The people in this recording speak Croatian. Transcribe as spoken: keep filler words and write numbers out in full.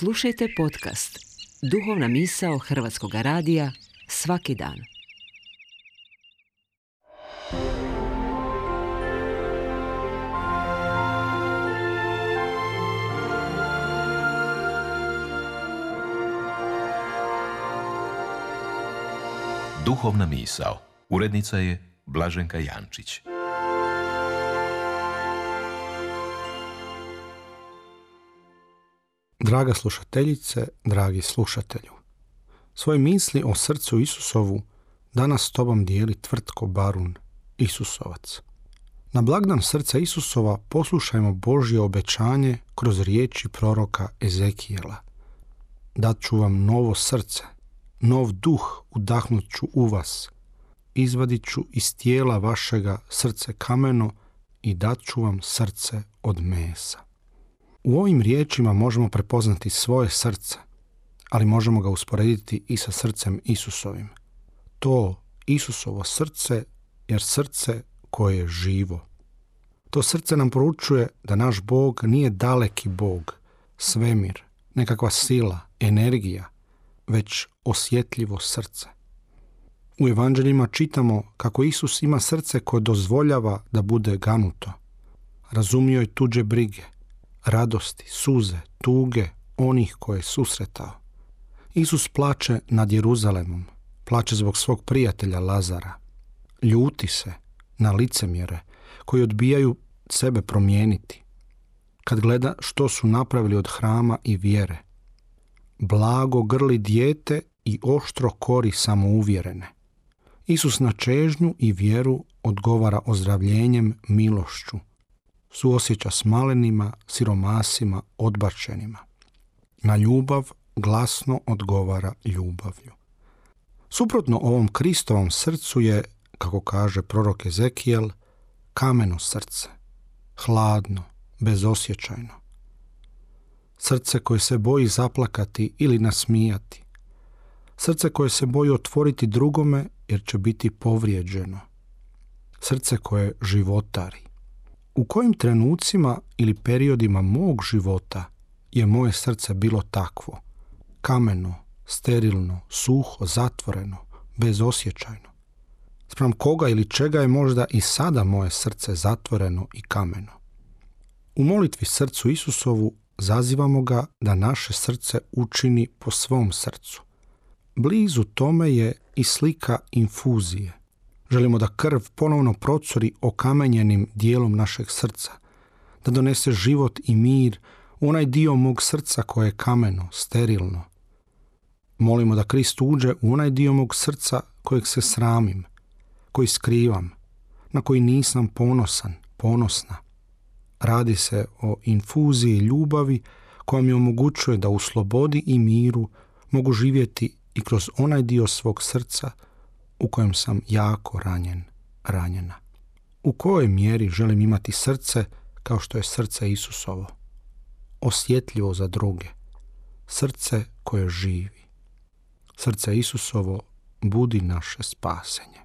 Slušajte podcast Duhovna misao Hrvatskog radija svaki dan. Duhovna misao. Urednica je Blaženka Jančić. Draga slušateljice, dragi slušatelju, svoje misli o srcu Isusovu danas s tobom dijeli Tvrtko Barun, Isusovac. Na blagdan srca Isusova poslušajmo Božje obećanje kroz riječi proroka Ezekijela. Dat ću vam novo srce, nov duh udahnut ću u vas, izvadit ću iz tijela vašega srce kameno i dat ću vam srce od mesa. U ovim riječima možemo prepoznati svoje srce, ali možemo ga usporediti i sa srcem Isusovim. To Isusovo srce je srce koje je živo. To srce nam poručuje da naš Bog nije daleki Bog, svemir, nekakva sila, energija, već osjetljivo srce. U evanđeljima čitamo kako Isus ima srce koje dozvoljava da bude ganuto. Razumio je tuđe brige, radosti, suze, tuge onih koje je susretao. Isus plače nad Jeruzalemom, plače zbog svog prijatelja Lazara. Ljuti se na licemjere koji odbijaju sebe promijeniti. Kad gleda što su napravili od hrama i vjere. Blago grli dijete i oštro kori samouvjerene. Isus na čežnju i vjeru odgovara ozdravljenjem, milošću. Suosjeća s malenima, siromasima, odbačenima. Na ljubav glasno odgovara ljubavlju. Suprotno ovom Kristovom srcu je, kako kaže prorok Ezekijel, kameno srce, hladno, bezosjećajno. Srce koje se boji zaplakati ili nasmijati. Srce koje se boji otvoriti drugome jer će biti povrijeđeno. Srce koje životari. U kojim trenucima ili periodima mog života je moje srce bilo takvo, kameno, sterilno, suho, zatvoreno, bezosjećajno? Spram koga ili čega je možda i sada moje srce zatvoreno i kameno? U molitvi srcu Isusovu zazivamo ga da naše srce učini po svom srcu. Blizu tome je i slika infuzije. Želimo da krv ponovno procuri okamenjenim dijelom našeg srca, da donese život i mir u onaj dio mog srca koje je kameno, sterilno. Molimo da Krist uđe u onaj dio mog srca kojeg se sramim, koji skrivam, na koji nisam ponosan, ponosna. Radi se o infuziji ljubavi koja mi omogućuje da u slobodi i miru mogu živjeti i kroz onaj dio svog srca u kojem sam jako ranjen, ranjena. U kojoj mjeri želim imati srce kao što je srce Isusovo? Osjetljivo za druge. Srce koje živi. Srce Isusovo budi naše spasenje.